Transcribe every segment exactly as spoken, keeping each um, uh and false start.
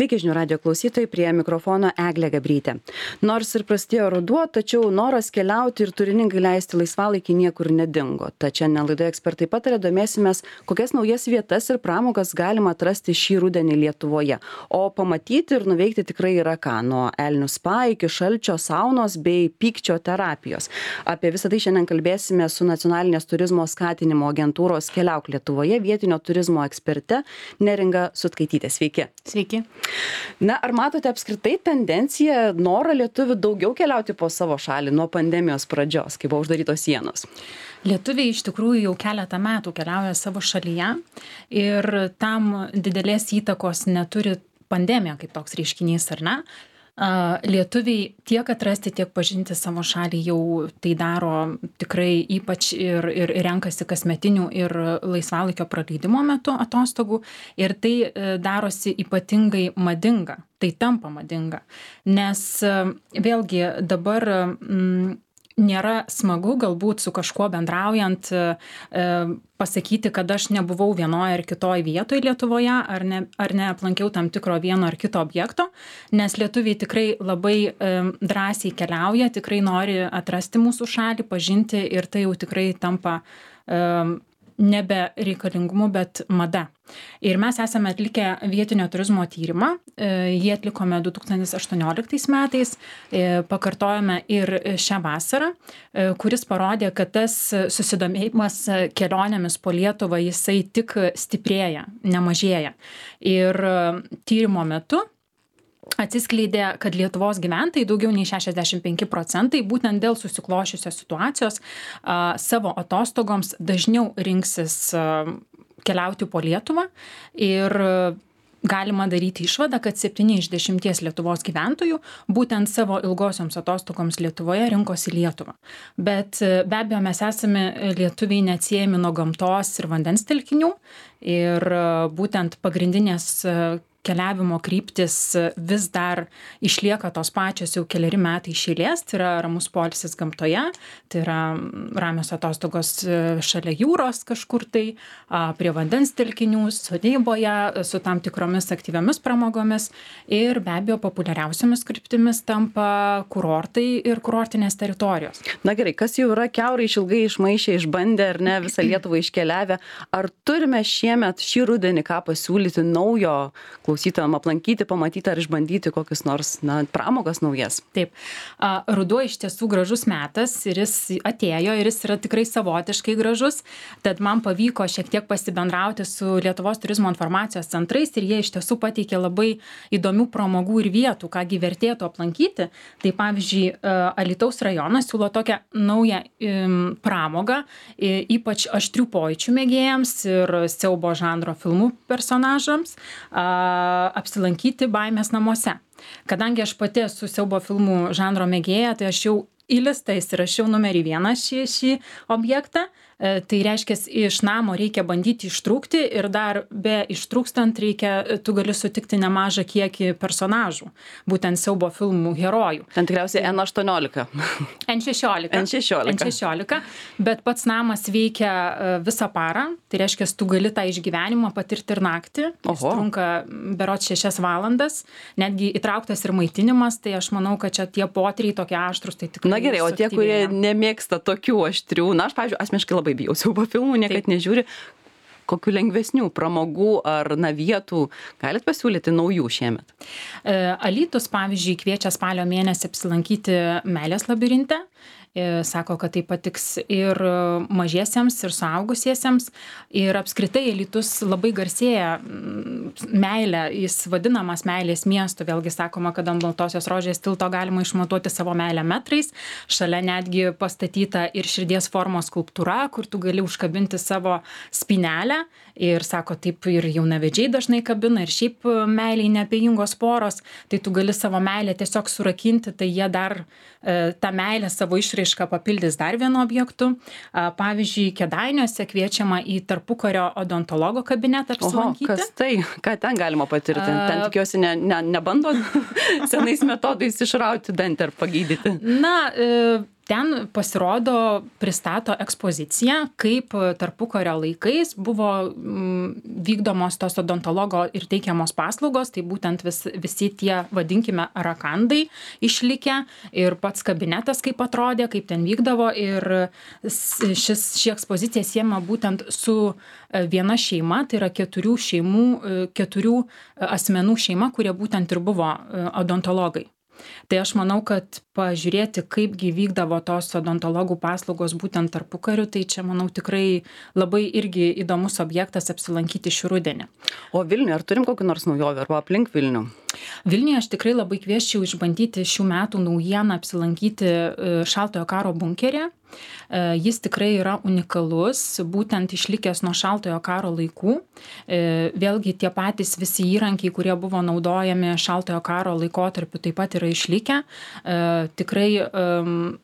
Sveiki žinių radijo klausytojai, prie mikrofono Eglė Gabrytė. Nors ir prasidėjo ruduo, tačiau noras keliauti ir turiningai leisti laisvalaikį niekur nedingo. Tačiau šiandien laidoje ekspertai patarė, domėsimės, kokias naujas vietas ir pramogas galima atrasti šį rudenį Lietuvoje. O pamatyti ir nuveikti tikrai yra ką, nuo elnių spa iki šalčio saunos bei pykčio terapijos. Apie visą tai šiandien kalbėsime su nacionalinės turizmo skatinimo agentūros Keliauk Lietuvoje vietinio turizmo eksperte Neringa Sutkaitytė. Sveiki. Sveiki. Na, ar matote apskritai tendenciją, norą lietuvių daugiau keliauti po savo šalį nuo pandemijos pradžios, kai buvo uždarytos sienos? Lietuviai iš tikrųjų jau keletą metų keliauja savo šalyje ir tam didelės įtakos neturi pandemija kaip toks reiškinys, ar ne? Lietuviai tiek atrasti, tiek pažinti savo šalį jau tai daro tikrai ypač ir, ir renkasi kasmetinių ir laisvalaikio praleidimo metu atostogų ir tai darosi ypatingai madinga, tai tampa madinga, nes vėlgi dabar mm, nėra smagu galbūt su kažkuo bendraujant e, pasakyti, kad aš nebuvau vienoje ar kitoje vietoje Lietuvoje ar, ne, ar neaplankiau tam tikro vieno ar kito objekto, nes lietuviai tikrai labai e, drąsiai keliauja, tikrai nori atrasti mūsų šalį, pažinti ir tai jau tikrai tampa e, nebe reikalingumu, bet mada. Ir mes esame atlikę vietinio turizmo tyrimą, jį atlikome du tūkstančiai aštuonioliktais metais, pakartojome ir šią vasarą, kuris parodė, kad tas susidomėjimas kelionėmis po Lietuvą jisai tik stiprėja, nemažėja. Ir tyrimo metu atsiskleidė, kad Lietuvos gyventojai daugiau nei šešiasdešimt penki procentai būtent dėl susiklošiusios situacijos a, savo atostogoms dažniau rinksis a, keliauti po Lietuvą ir galima daryti išvadą, kad septyni iš dešimties Lietuvos gyventojų būtent savo ilgosioms atostogoms Lietuvoje rinkosi Lietuvą. Bet be abejo mes esame lietuviai neatsiejami nuo gamtos ir vandens telkinių ir būtent pagrindinės keliavimo kryptis vis dar išlieka tos pačios jau keleri metai iš eilės, tai yra ramus poilsis gamtoje, tai yra ramios atostogos šalia jūros kažkur tai, prie vandens telkinių, sodyboje, su tam tikromis aktyviomis pramogomis ir be abejo populiariausiamis kryptimis tampa kurortai ir kurortinės teritorijos. Na gerai, kas jau yra kiaurai išilgai išmaišę, išbandę ar ne visą Lietuvą iškeliavę, ar turime šiemet šį rudenį ką pasiūlyti naujo klausytojam aplankyti, pamatyti ar išbandyti kokius nors na, pramogas naujas? Taip. Ruduo iš tiesų gražus metas ir jis atėjo ir jis yra tikrai savotiškai gražus, tad man pavyko šiek tiek pasibendrauti su Lietuvos turizmo informacijos centrais ir jie iš tiesų pateikė labai įdomių pramogų ir vietų, kągi vertėtų aplankyti. Tai pavyzdžiui, Alytaus rajonas siūlo tokią naują pramogą, ypač aštrių pojūčių mėgėjams ir siaubo žanro filmų personažams, apsilankyti baimės namuose. Kadangi aš pati esu siaubo filmų žanro mėgėja, tai aš jau į listą įsirašiau numerį vieną šį, šį objektą. Tai reiškia, iš namo reikia bandyti ištrūkti ir dar be ištrūkstant reikia, tu gali sutikti nemažą kiekį personažų, būtent siaubo filmų herojų. Ten tikriausiai en aštuoniolika. en šešiolika. en šešiolika. en šešiolika. Bet pats namas veikia visą parą, tai reiškia, tu gali tą išgyvenimą patirti ir naktį. Jis trunka berods šešias valandas, netgi įtrauktas ir maitinimas, tai aš manau, kad čia tie potyriai tokie aštrus, tai tikrai. Na gerai, o tie, kurie nemėgsta tokių aštrių, na aš, pavyzdžiui, asmeniškai labai bijau siaubo filmų, niekad Taip. Nežiūri, kokių lengvesnių pramogų ar na, vietų galit pasiūlyti naujų šiemet? Alytus, pavyzdžiui, kviečia spalio mėnesį apsilankyti Meilės labirinte. Sako, kad tai patiks ir mažiesiems, ir suaugusiesiems. Ir apskritai Alytus labai garsėja meilė, jis vadinamas meilės miestu. Vėlgi sakoma, kad ant Baltosios rožės tilto galima išmatuoti savo meilę metrais. Šalia netgi pastatyta ir širdies formos skulptūra, kur tu gali užkabinti savo spynelę. Ir sako, taip ir jaunavedžiai dažnai kabina, ir šiaip meiliai neapėjingos poros. Tai tu gali savo meilę tiesiog surakinti, tai jie dar e, tą meilę savo išraišką papildys dar vienu objektu. Pavyzdžiui, Kėdainiuose kviečiama į tarpukario odontologo kabinetą apsilankyti. Oho, kas tai? Ką ten galima patirti? Ten tikiuosi ne, ne, nebando senais metodais išrauti dantį ar pagydyti. Na, e, ten pasirodo, pristato ekspoziciją, kaip tarpukario laikais buvo vykdomos tos odontologo ir teikiamos paslaugos, tai būtent vis, visi tie, vadinkime, rakandai išlikę ir pats kabinetas kaip atrodė, kaip ten vykdavo ir šis, ši ekspozicija siema būtent su viena šeima, tai yra keturių šeimų, keturių asmenų šeima, kurie būtent ir buvo odontologai. Tai aš manau, kad pažiūrėti, kaipgi vykdavo tos odontologų paslaugos būtent tarpukariu, tai čia, manau, tikrai labai irgi įdomus objektas apsilankyti šį rudenį. O Vilniuje, ar turim kokį nors naujovę arba aplink Vilnių? Vilniuje aš tikrai labai kvieščiau išbandyti šių metų naujieną apsilankyti šaltojo karo bunkerė. Jis tikrai yra unikalus, būtent išlikęs nuo šaltojo karo laikų. Vėlgi tie patys visi įrankiai, kurie buvo naudojami šaltojo karo laikotarpiu, taip pat yra išlikę. Tikrai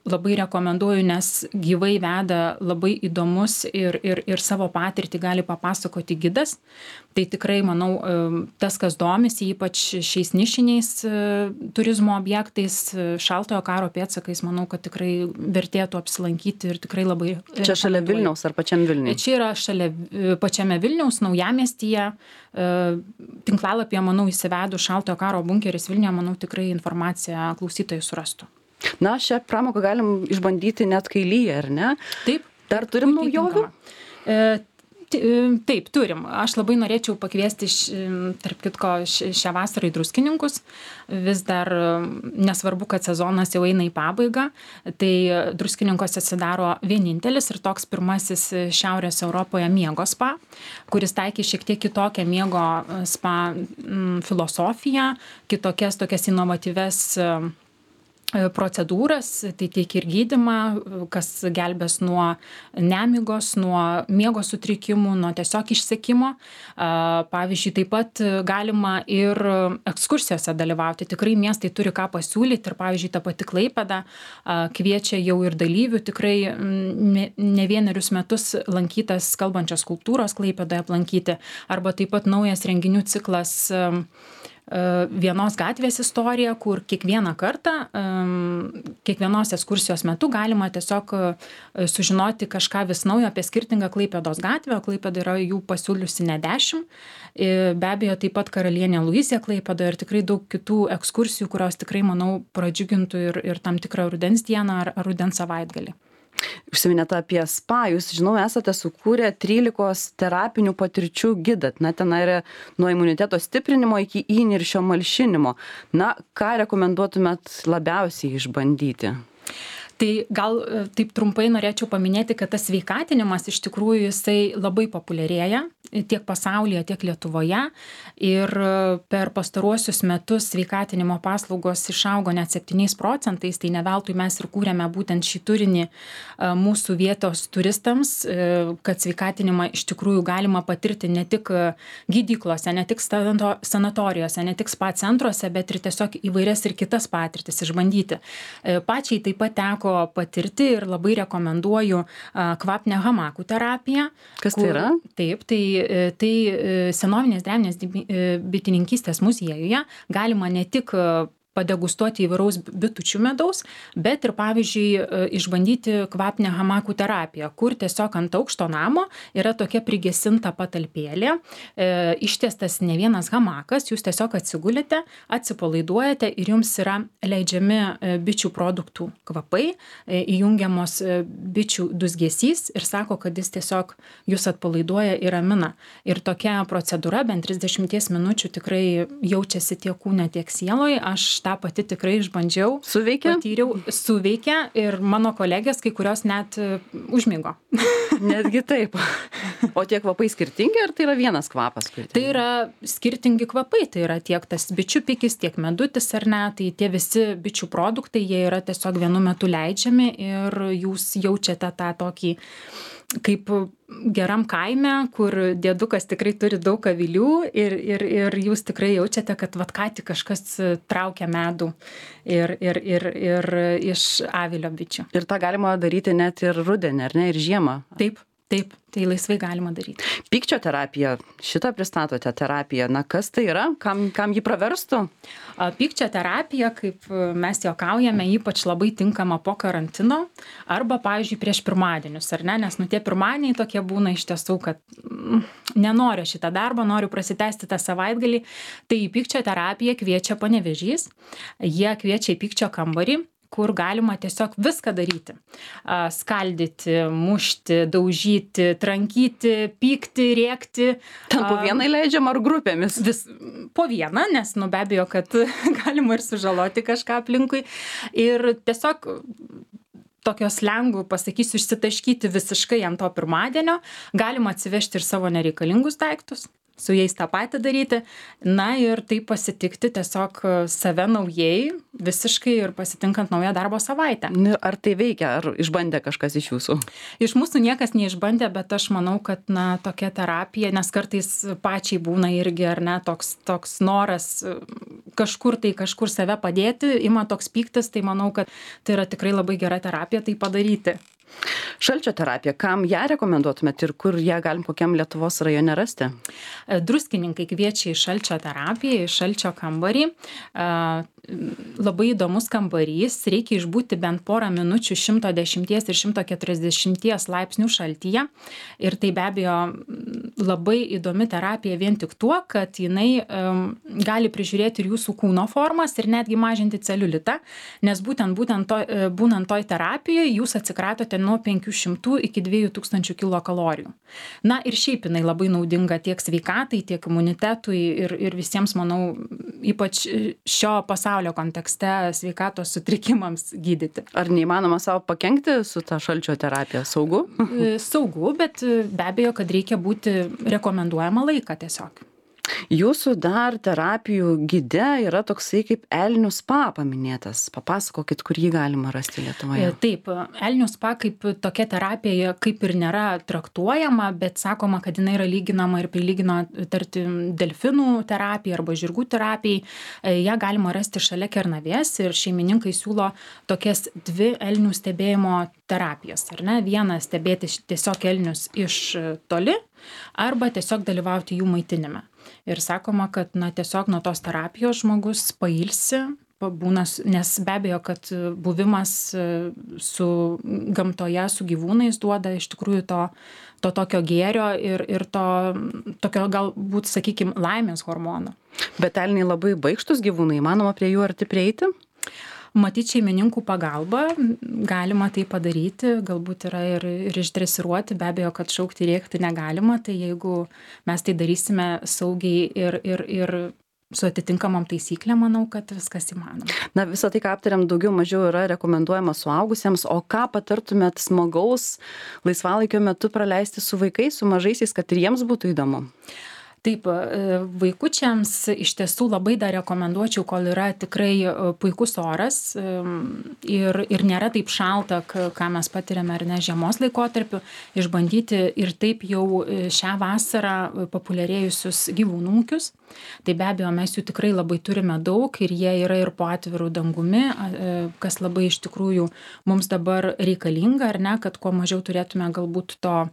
labai rekomenduoju, nes gyvai veda labai įdomus ir, ir, ir savo patirtį gali papasakoti gidas. Tai tikrai, manau, tas, kas domisi, ypač šiais nišiniais turizmo objektais, šaltojo karo pėdsakais, manau, kad tikrai vertėtų apsilankyti ir tikrai labai... Čia šalia Vilniaus ar pačiam Vilniui? Čia yra šalia pačiame Vilniaus, naujamiestyje. Tinklalapyje, manau, įsivedus šaltojo karo bunkeris Vilniuje, manau, tikrai informaciją klausytojai surastų. Na, šią pramoką galim išbandyti net kai lyja, ar ne? Taip. Dar turim naujovių? Taip, turim. Aš labai norėčiau pakviesti, tarp kitko, šią vasarą į Druskininkus. Vis dar nesvarbu, kad sezonas jau eina į pabaigą. Tai Druskininkose atsidaro vienintelis ir toks pirmasis Šiaurės Europoje miego spa, kuris taikė šiek tiek kitokią miego spa filosofiją, kitokias tokias inovatyves procedūras, tai teikia ir gydymą, kas gelbės nuo nemigos, nuo miego sutrikimų, nuo tiesiog išsekimo. Pavyzdžiui, taip pat galima ir ekskursijose dalyvauti. Tikrai miestai turi ką pasiūlyti ir, pavyzdžiui, ta pati Klaipėda kviečia jau ir dalyvių tikrai ne vienerius metus lankytas kalbančios kultūros Klaipėdoje aplankyti. Arba taip pat naujas renginių ciklas vienos gatvės istorija, kur kiekvieną kartą, kiekvienos ekskursijos metu galima tiesiog sužinoti kažką vis naujo apie skirtingą Klaipėdos gatvę. Klaipėda yra jų pasiūliusi ne dešimt. Be abejo, taip pat Karalienė Luizė Klaipėda ir tikrai daug kitų ekskursijų, kurios tikrai, manau, pradžiugintų ir, ir tam tikrą rudens dieną ar, ar rudens savaitgalį. Užsiminėte apie spa, jūs, žinau, esate sukūrę trylikos terapinių patirčių gidą. Na, ten yra nuo imuniteto stiprinimo iki įniršio malšinimo. Na, ką rekomenduotumėt labiausiai išbandyti? Tai gal taip trumpai norėčiau paminėti, kad tas sveikatinimas iš tikrųjų jisai labai populiarėja tiek pasaulyje, tiek Lietuvoje. Ir per pastaruosius metus sveikatinimo paslaugos išaugo net septyniais procentais, tai ne veltui mes ir kūrėme būtent šį turinį mūsų vietos turistams, kad sveikatinimą iš tikrųjų galima patirti ne tik gydyklose, ne tik sanatorijose, ne tik spa centruose, bet ir tiesiog įvairias ir kitas patirtis išbandyti. Pačiai taip pat teko patirti ir labai rekomenduoju kvapnę hamakų terapiją. Kas tai yra? Taip, tai, tai senovinės drevinės bitininkystės muziejuje galima ne tik padegustuoti įvairaus bitučių medaus, bet ir, pavyzdžiui, išbandyti kvapnę hamakų terapiją, kur tiesiog ant aukšto namo yra tokia prigesinta patalpėlė, e, ištiestas ne vienas hamakas, jūs tiesiog atsigulite, atsipalaiduojate ir jums yra leidžiami bičių produktų kvapai, e, įjungiamos bičių dūzgesys ir sako, kad jis tiesiog jūs atpalaiduoja ir ramina. Ir tokia procedūra, bent trisdešimt minučių tikrai jaučiasi tiek kūne, tiek sieloje. Aš tą pati tikrai išbandžiau. Suveikia? Patyriau, suveikia ir mano kolegės kai kurios net užmigo. Netgi taip. O tie kvapai skirtingi, ar tai yra vienas kvapas? Tai yra skirtingi kvapai, tai yra tiek tas bičių pikis, tiek medutis ar ne, tai tie visi bičių produktai, jie yra tiesiog vienu metu leidžiami ir jūs jaučiate tą tokį kaip geram kaime, kur dėdukas tikrai turi daug avilių ir, ir, ir jūs tikrai jaučiate, kad vat ką tik kažkas traukia medų ir, ir, ir, ir iš avilio bičių. Ir tą galima daryti net ir rudenį, ar ne, ir žiemą? Taip. Taip, tai laisvai galima daryti. Pykčio terapija, šitą pristatote terapiją, na kas tai yra, kam, kam jį praverstų? Pykčio terapija, kaip mes juokaujame, ypač labai tinkama po karantino arba, pavyzdžiui, prieš pirmadienius, ar ne, nes nu tie pirmadieniai tokie būna iš tiesų, kad mm, nenoriu šitą darbą, noriu prasitęsti tą savaitgalį, tai į pykčio terapiją kviečia Panevėžys, jie kviečia į pykčio kambarį, kur galima tiesiog viską daryti. Skaldyti, mušti, daužyti, trankyti, pykti, rėkti. Ten po vieną leidžiam ar grupėmis? Vis, po vieną, nes nu be abejo, kad galima ir sužaloti kažką aplinkui. Ir tiesiog tokio slengų, pasakysiu, išsitaškyti visiškai ant to pirmadienio. Galima atsivežti ir savo nereikalingus daiktus, su jais tą patį daryti, na ir tai pasitikti tiesiog save naujai, visiškai ir pasitinkant naują darbo savaitę. Ar tai veikia, ar išbandė kažkas iš jūsų? Iš mūsų niekas neišbandė, bet aš manau, kad na, tokia terapija, nes kartais pačiai būna irgi, ar ne, toks, toks noras kažkur tai kažkur save padėti, ima toks pyktis, tai manau, kad tai yra tikrai labai gera terapija tai padaryti. Šalčio terapija, kam ją rekomenduotumėt ir kur ją galim kokiam Lietuvos rajone rasti? Druskininkai kviečia į šalčio terapiją, į šalčio kambarį. Labai įdomus kambarys, reikia išbūti bent porą minučių šimto dešimties ir šimto keturiasdešimties laipsnių šaltyje. Ir tai be abejo labai įdomi terapija vien tik tuo, kad jinai um, gali prižiūrėti ir jūsų kūno formas ir netgi mažinti celiulitą, nes būtent, būtent to, būnant toj terapijoje jūs atsikratote nuo penkių šimtų iki dviejų tūkstančių kilokalorijų. Na ir šiaip jinai labai naudinga tiek sveikatai, tiek imunitetui ir, ir visiems, manau, ypač šio pasaulio kontekste sveikatos sutrikimams gydyti. Ar neįmanoma savo pakenkti su ta šalčio terapija? Saugu? Saugu, bet be abejo, kad reikia būti rekomenduojama laiką tiesiog. Jūsų dar terapijų gide yra toksai kaip Elnių spa paminėtas. Papasakokit, kur jį galima rasti Lietuvoje. Taip, Elnių spa kaip tokia terapija kaip ir nėra traktuojama, bet sakoma, kad jinai yra lyginama ir prilygina tarkim delfinų terapijai arba žirgų terapijai. Ja galima rasti šalia Kernavės ir šeimininkai siūlo tokias dvi elnių stebėjimo terapijas. Ar ne? Vieną stebėti tiesiog elnius iš toli arba tiesiog dalyvauti jų maitinime. Ir sakoma, kad na, tiesiog nuo tos terapijos žmogus pailsi, pabūna, nes be abejo, kad buvimas su gamtoje, su gyvūnais duoda iš tikrųjų to, to tokio gėrio ir, ir to tokio galbūt, sakykime, laimės hormono. Bet elniai labai baikštus gyvūnai, įmanoma prie jų arti prieiti? Matyt, šeimininkų pagalba galima tai padaryti, galbūt yra ir, ir išdresiruoti, be abejo, kad šaukti rėkti negalima, tai jeigu mes tai darysime saugiai ir, ir, ir su atitinkamom taisyklėm, manau, kad viskas įmanoma. Na, visą tai, ką aptariam, daugiau mažiau yra rekomenduojama suaugusiems, o ką patartumėt smagaus laisvalaikio metu praleisti su vaikais, su mažaisiais, kad ir jiems būtų įdomu? Taip, vaikučiams iš tiesų labai dar rekomenduočiau, kol yra tikrai puikus oras ir, ir nėra taip šalta, ką mes patiriame ar ne žiemos laikotarpiu, išbandyti ir taip jau šią vasarą populiarėjusius gyvūnų ūkius. Tai be abejo, mes jų tikrai labai turime daug ir jie yra ir po atvirų dangumi, kas labai iš tikrųjų mums dabar reikalinga, ar ne, kad kuo mažiau turėtume galbūt to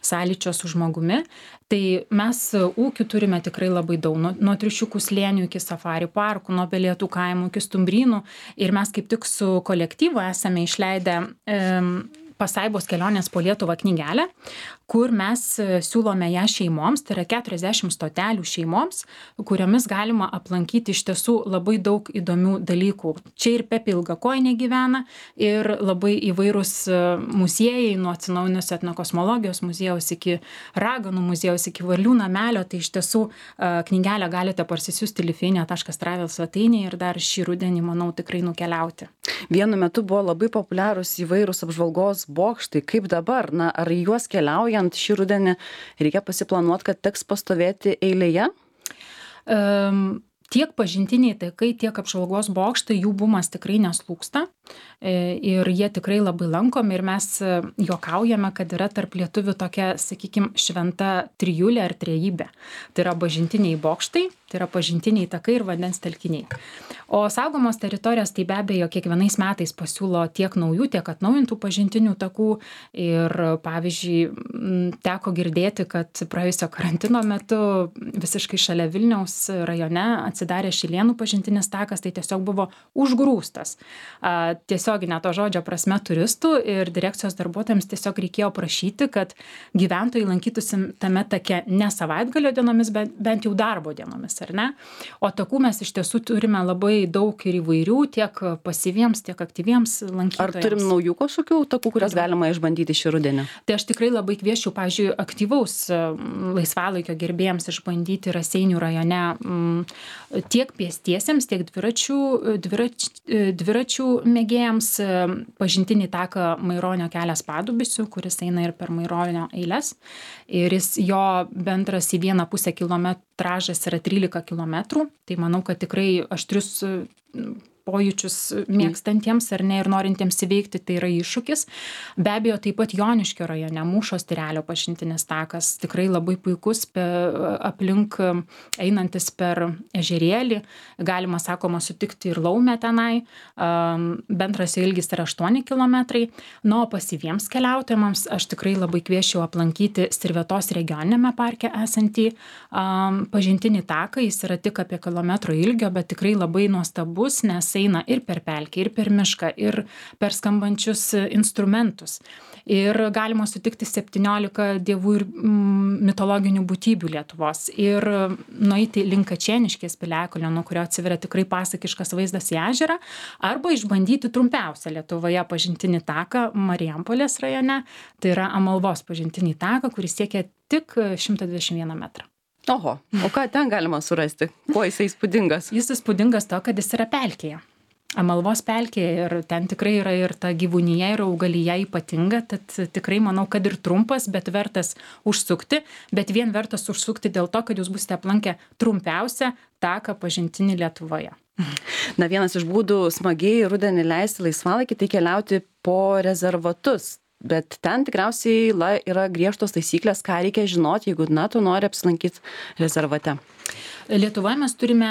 sąlyčio su žmogumi. Tai mes ūkių turime tikrai labai daug, nuo, nuo Triušiukų slėnių iki safari parkų, nuo Pelėtų kaimų iki Stumbrynų. Ir mes kaip tik su kolektyvu esame išleidę e, Pasaibos kelionės po Lietuvą knygelę, kur mes siūlome ją šeimoms, tai yra keturiasdešimt stotelių šeimoms, kuriomis galima aplankyti iš tiesų labai daug įdomių dalykų. Čia ir Pepė Ilgakojinė gyvena ir labai įvairūs muziejai, nuo atsinaujinusio etnokosmologijos muziejaus iki raganų muziejaus, iki varlių namelio, tai iš tiesų knygelę galite parsisiųsti lifinė taškas travel svetainėje ir dar šį rudenį, manau, tikrai nukeliauti. Vienu metu buvo labai populiarūs įvairūs apžvalgos bokštai. Kaip dabar? Na, ar juos keliaujant šį rudenį reikia pasiplanuoti, kad teks pastovėti eilėje? Um, tiek pažintiniai takai, tiek apžvalgos bokštai, jų bumas tikrai neslūksta. ir jie tikrai labai lankomi ir mes juokaujame, kad yra tarp lietuvių tokia, sakykime, šventa trijulė ar trejybė. Tai yra bažnytiniai bokštai, tai yra pažintiniai takai ir vandens telkiniai. O saugomos teritorijos tai be abejo kiekvienais metais pasiūlo tiek naujų, tiek atnaujintų pažintinių takų ir pavyzdžiui teko girdėti, kad praėjusio karantino metu visiškai šalia Vilniaus rajone atsidarė Šilėnų pažintinis takas, tai tiesiog buvo užgrūstas. Tiesioginė to žodžio prasme turistų ir direkcijos darbuotojams tiesiog reikėjo prašyti, kad gyventojai lankytųsi tame take ne savaitgalio dienomis, bet bent jau darbo dienomis, ar ne? O takų mes iš tiesų turime labai daug ir įvairių, tiek pasyviems, tiek aktyviems lankytojams. Ar turim naujų kažkokių takų, kurias galima išbandyti šį rudenį? Tai aš tikrai labai kvieščiau, pavyzdžiui, aktyvaus laisvalaikio gerbėjams išbandyti Raseinių rajone tiek pėstiesiems, tiek dviračių, dvirač, dviračių mėgėjams pažintinį taką Maironio kelias Padubisių, kuris eina ir per Maironio eiles. Ir jis, jo bendras į vieną pusę kilometražas yra trylika kilometrų. Tai manau, kad tikrai aštrius pojūčius mėgstantiems ar ne ir norintiems įveikti, tai yra iššūkis. Be abejo, taip pat Joniškio rajone Mūšos Tyrelio pažintinis takas tikrai labai puikus pe, aplink einantis per ežerėlį. Galima, sakoma, sutikti ir laumę tenai. Bendras ilgis yra aštuoni kilometrai. Nu, o pasyviems keliautojams aš tikrai labai kvieščiau aplankyti Sirvetos regioninėme parke esantį um, pažintinį taką. Jis yra tik apie kilometro ilgio, bet tikrai labai nuostabus, nes eina ir per pelkę, ir per mišką, ir per skambančius instrumentus. Ir galima sutikti septyniolika dievų ir mm, mitologinių būtybių Lietuvos. Ir nueiti link Kačėniškės piliakalnio, nuo kurio atsiveria tikrai pasakiškas vaizdas į ežerą, arba išbandyti trumpiausią Lietuvoje pažintinį taką Marijampolės rajone. Tai yra Amalvos pažintinį taką, kuris siekia tik šimtą dvidešimt vieną metrą. Oho, o ką ten galima surasti? Kuo jisai įspūdingas? Jis įspūdingas to, kad jis yra pelkėje. Amalvos pelkėje ir ten tikrai yra ir ta gyvūnija, ir augalija ypatinga, tad tikrai manau, kad ir trumpas, bet vertas užsukti, bet vien vertas užsukti dėl to, kad jūs būsite aplankę trumpiausią taką pažintinį Lietuvoje. Na, vienas iš būdų smagiai rudenį leisti laisvalaikį, tai keliauti po rezervatus. Bet ten tikriausiai la, yra griežtos taisyklės, ką reikia žinoti, jeigu, na, tu nori apsilankyti rezervate. Lietuvoje mes turime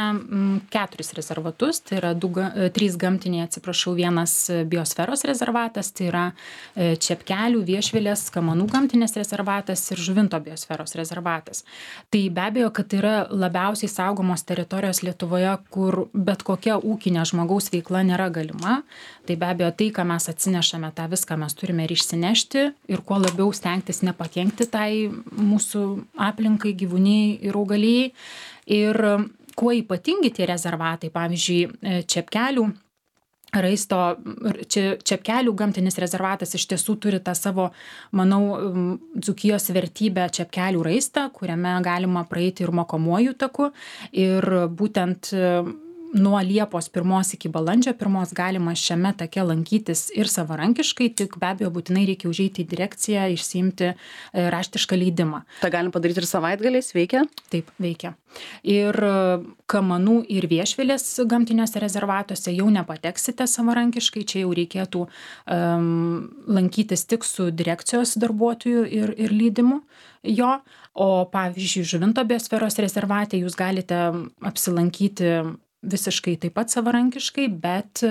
keturis rezervatus, tai yra du, trys gamtiniai, atsiprašau, vienas biosferos rezervatas, tai yra Čepkelių, Viešvilės, Kamanų gamtinės rezervatas ir Žuvinto biosferos rezervatas. Tai be abejo, kad tai yra labiausiai saugomos teritorijos Lietuvoje, kur bet kokia ūkinė žmogaus veikla nėra galima. Tai be abejo, tai, ką mes atsinešame, tą viską mes turime ir išsinešti ir kuo labiau stengtis nepakenkti tai mūsų aplinkai, gyvūnijai ir augalijai. Ir kuo ypatingi tie rezervatai, pavyzdžiui, Čepkelių raisto, Čepkelių gamtinis rezervatas iš tiesų turi tą savo, manau, Dzūkijos vertybę Čepkelių raistą, kuriame galima praeiti ir mokomuoju taku. Ir būtent nuo Liepos pirmos iki balandžio pirmos galima šiame take lankytis ir savarankiškai, tik be abejo būtinai reikia užeiti į direkciją, išsiimti raštišką leidimą. Tai galim padaryti ir savaitgaliais, veikia? Taip, veikia. Ir Kamanų ir Viešvilės gamtiniuose rezervatuose jau nepateksite savarankiškai, čia jau reikėtų um, lankytis tik su direkcijos darbuotojų ir, ir lydimu jo. O pavyzdžiui, Žuvinto biosferos rezervate jūs galite apsilankyti visiškai taip pat savarankiškai, bet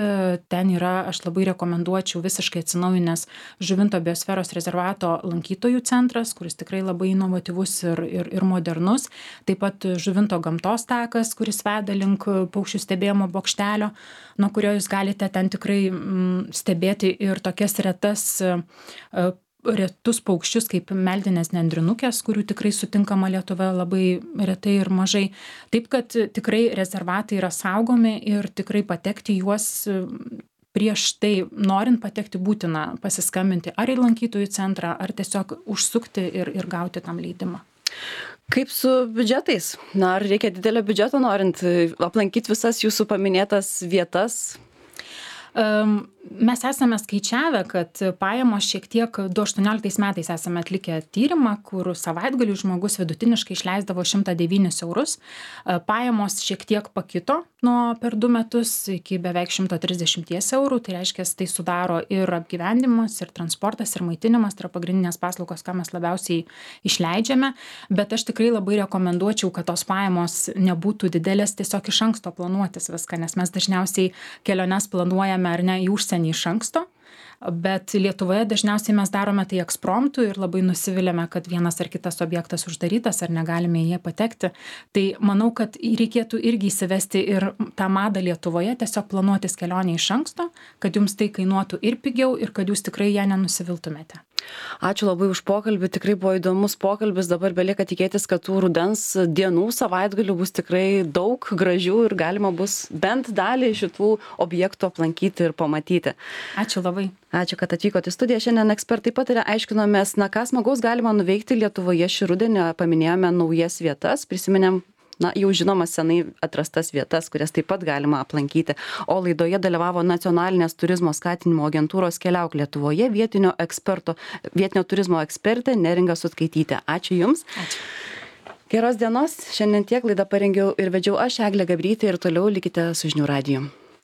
ten yra, aš labai rekomenduočiau, visiškai atsinaujinęs Žuvinto biosferos rezervato lankytojų centras, kuris tikrai labai inovatyvus ir, ir, ir modernus. Taip pat Žuvinto gamtos takas, kuris veda link paukščių stebėjimo bokštelio, nuo kurio jūs galite ten tikrai stebėti ir tokias retas retus paukščius kaip meldinės nendrinukės, kurių tikrai sutinkama Lietuvoje labai retai ir mažai. Taip, kad tikrai rezervatai yra saugomi ir tikrai patekti juos prieš tai, norint patekti, būtina pasiskambinti ar į lankytojų centrą, ar tiesiog užsukti ir, ir gauti tam leidimą. Kaip su biudžetais? Na, ar reikia didelio biudžeto norint aplankyti visas jūsų paminėtas vietas? Um, mes esame skaičiavę, kad pajamos šiek tiek du aštuonioliktais metais esame atlikę tyrimą, kur savaitgaliui žmogus vidutiniškai išleisdavo šimtą devynis eurus. Pajamos šiek tiek pakito nuo per du metus iki beveik šimto trisdešimties eurų. Tai reiškia, tai sudaro ir apgyvendimas, ir transportas, ir maitinimas, tai yra pagrindinės paslaugos, ką mes labiausiai išleidžiame. Bet aš tikrai labai rekomenduočiau, kad tos pajamos nebūtų didelės, tiesiog iš anksto planuotis viską, nes mes dažniausiai keliones planuojame ar ne į užsienį iš anksto. Bet Lietuvoje dažniausiai mes darome tai ekspromtu ir labai nusiviliame, kad vienas ar kitas objektas uždarytas ar negalime į jį patekti. Tai manau, kad reikėtų irgi įsivesti ir tą madą Lietuvoje, tiesiog planuotis kelionę iš anksto, kad jums tai kainuotų ir pigiau ir kad jūs tikrai ją nenusiviltumėte. Ačiū labai už pokalbį, tikrai buvo įdomus pokalbis, dabar belieka tikėtis, kad tų rudens dienų savaitgalių bus tikrai daug gražių ir galima bus bent dalį šitų objektų aplankyti ir pamatyti. Ačiū labai. Ačiū, kad atvykote į studiją. Šiandien ekspertai patarė, aiškinomės, na ką smagaus galima nuveikti Lietuvoje šį rudenį, paminėjome naujas vietas, prisiminėm na, jau žinomas senai atrastas vietas, kurias taip pat galima aplankyti. O laidoje dalyvavo Nacionalinės turizmo skatinimo agentūros Keliauk Lietuvoje vietinio eksperto, vietinio turizmo ekspertė Neringa Sutkaitytė. Ačiū Jums. Ačiū. Geros dienos. Šiandien tiek laidą parengiau ir vedžiau aš, Eglė Gabrytė, ir toliau likite su Žinių radiju.